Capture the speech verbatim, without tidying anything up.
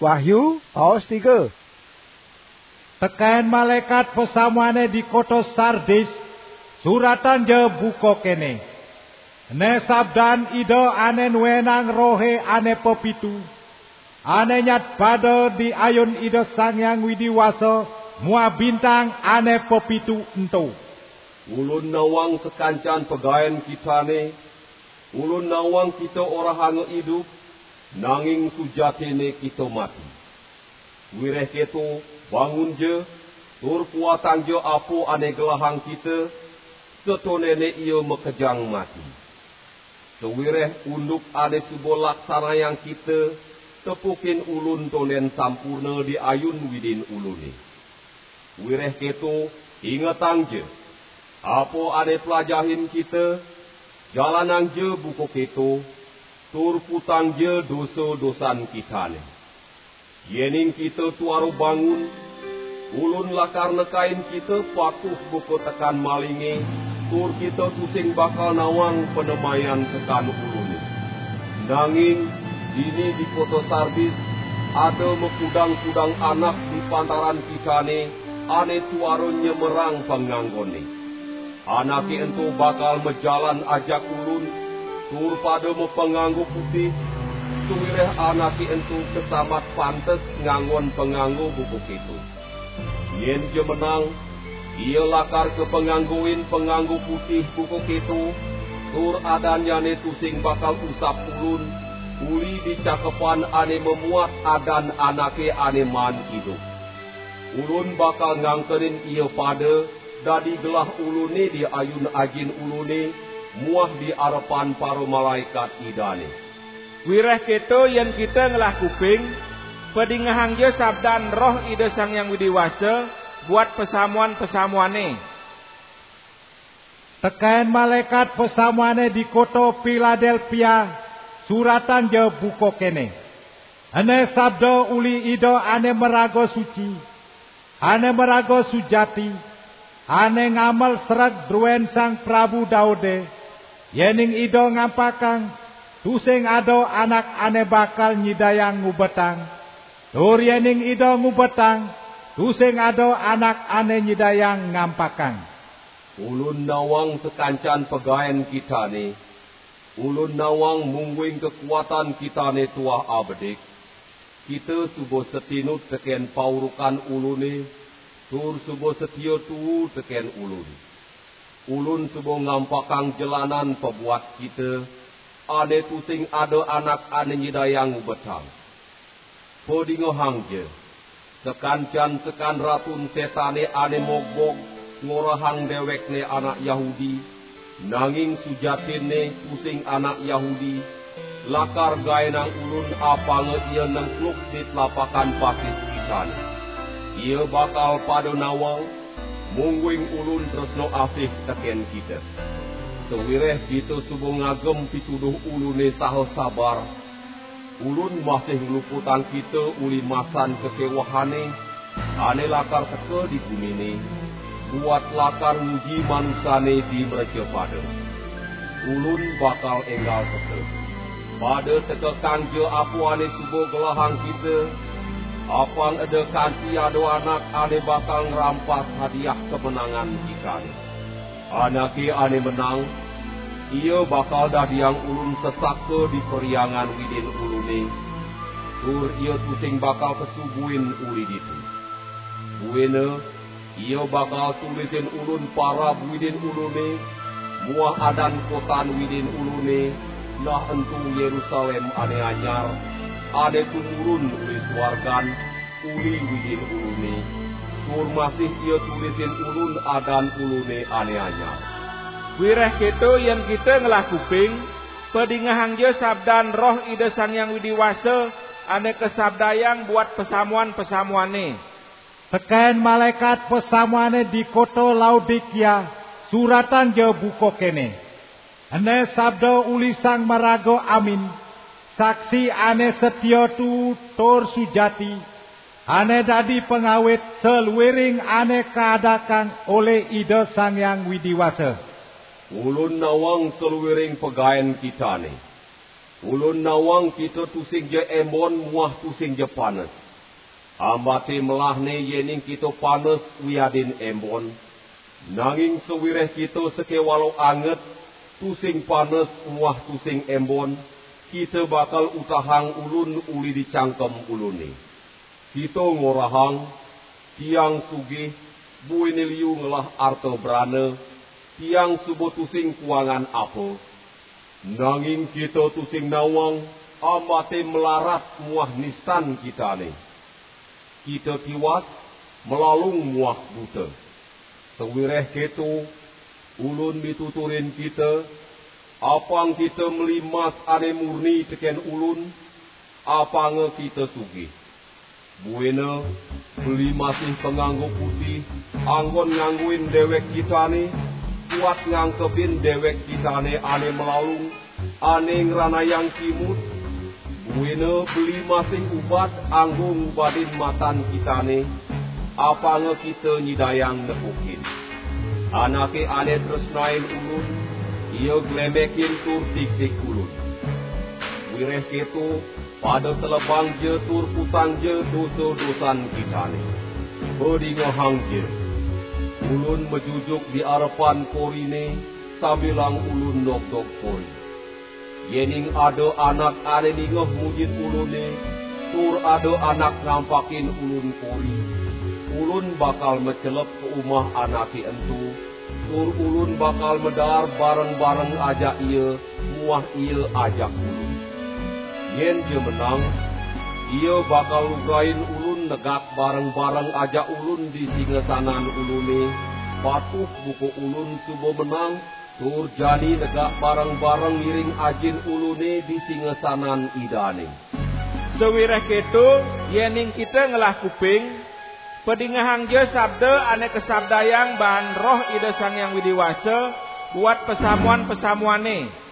Wahyu, paos tiga. Tekén malaékat pasamuané di kota Sardis, suratangja buka kéné: Ené sabdan Ida ané nuénang rohé ané pepitu, ané nyat pada di ayun Ida Sang Hyang Widi Wasa muah bintang ané pepitu ento. Ulun nawang sakancan pagaén kitané, ulun nawang kita orahanga idup, nanging sujatiné kita mati. Wiréh kéto, bangunja, tur kuatangja apa ané gelahang kita, satonéné ia makejang mati. Sawiréh unduk ané suba laksanayang kita, tepukin ulun tondén sampurna di ayun Widin uluné. Wiréh kéto, ingetangja apa ané plajahin kita, jalanangja buka kéto, tur kutangja dosa-dosan kitané. Yéning kita tuara bangun, ulun lakar nekain kita patuh buka tekan malingé, tur kita tusing bakal nawang panemayan tekan uluné. Nanging, dini di kota Sardis, ada makudang-kudang anak di pantaran kitané, ané tuara nyemerang panganggoné. Anaké ento bakal majalan ajak ulun, tur pada mapanganggo putih, sawiréh anaké ento kasambat pantes nganggon panganggo buka kéto. Yén ja menang, ia lakar kapanganggoin panganggo putih buka kéto, tur adannyané tusing bakal usap ulun, uli di cakepan ané mamuat adan anaké ané maan idup. Ulun bakal ngangkenin ia pada dadi gelah uluné di ayun Ajin uluné muah di arepan para malaékat Idané. Wiréh kéto, yén kita ngelah kuping, padingehangja sabdan Roh Ida Sang Hyang Widi Wasa buat pasamuan-pasamuané. Tekén malaékat pasamuané di kota Piladélpia, suratangja buka kéné: Ené sabda uli Ida ané maraga suci, ané maraga sujati, ané ngamel sreg druén Sang Prabu Daudé, yéning Ida ngampakang, tusing ada anak ané bakal nyidayang ngubetang, tur yéning Ida ngubetang, tusing ada anak ané nyidayang ngampakang. Ulun nawang sakancan pagaén kitané, ulun nawang mungguing kakuatan kitané tuah abedik, kita suba satinut tekén paurukan uluné, tur suba satia tuu tekén ulun. Ulun suba ngampakang jelanan pabuat kita, ané tusing ada anak ané nyidayang ngubetang. Padingehangja, sakancan sekan Ratun Sétané ané mogbog ngorahang déwékné anak Yahudi, nanging sujatinné tusing anak Yahudi, lakar gaénang ulun apanga ia nengkluk di tlapakan batis kitané. Ia bakal pada nawang, mungguing ulun tresna asih tekén kita. Sawiréh kita suba ngagem pituduh uluné saha sabar, ulun masih ngluputang kita uli masan kakéwahané, ané lakar teka di guminé, buat lakar nguji manusané di mrecapada. Ulun bakal énggal teka. Pada tekekangja apa ané suba gelahang kita, apang eda kanti ada anak ané bakal ngrampas hadiah kamenangan kitané. Anaké ané menang, ia bakal dadiang ulun sesaka di perhyangan Widin uluné, tur ia tusing bakal kasubuin uli ditu. Buina, ia bakal tulisin ulun parab Widin uluné, muah adan kotan Widin uluné, nah ento Yérusalém ané anyar, ané tumurun uli suargan, uli Widin uluné, tur masih ia tulisin ulun adan uluné ané anyar. Wiréh kéto, yén kita ngelah kuping, padingehangja sabdan Roh Ida Sang Hyang Widi Wasa ané kasabdayang buat pasamuan-pasamuané. Tekén malaékat pasamuané di kota Laodikia, suratangja buka kéné: Ené sabda uli Sang Maraga Amin, Saksi ané satia tuu tur sujati, ané dadi pangawit saluiring ané kaadakang olih Ida Sang Hyang Widi Wasa. Ulun nawang saluiring pagaén kitané. Ulun nawang kita tusing ja embon muah tusing ja panes. Ambate melahne yening kita panes wiadin embon. Nanging sawireh kita sakewala anget, tusing panes muah tusing embon, kita bakal utahang ulun uli di cangkem ulune. Kita ngorahang, "Tiang sugih, buine liu ngelah arta brana, tiang suba tusing kuangan apa." Nanging kita tusing nawang, ambate melarat muah nistan kitane. Kita tiwas, malalung muah buta. Sawireh keto, ulun mituturin kita, apang kita meli mas ane murni teken ulun, apanga kita sugih. Buina, beli masih panganggo putih, anggon ngangguin dewek kitane, kuat ngangkebin dewek kitane ane malalung, ane ngranayang kimud. Buina beli masih ubat anggo ngubadin matan kitane, apanga kita nyidayang nepukin. Anake ane tresnain ulun, ia glemekin tur tiktik ulun. Wireh keto, pada telebang ja tur putang ja dosa-dosan kitane. Padingehang ja. Ulun majujuk di arepan korine, sambilang ulun nogdog kori. Yening ada anak ane ningeh mujin ulune, tur ada anak ngampakin ulun kori, ulun bakal macelep ka umah anake ento, tur ulun bakal madaar bareng-bareng ajak ia, muah ia ajak ulun. Yen ia menang, ia bakal lugrain ulun negak bareng-bareng ajak ulun di singasanan ulune, patuh buka ulun suba menang, tur jani negak bareng-bareng ngiring Ajin ulune di singasanan Idane. Sawireh keto, yening kita ngelah kuping, padingehang ja sabda ane kasabdayang baan Roh Ida Sang Hyang Widi Wasa buat pasamuan-pasamuane.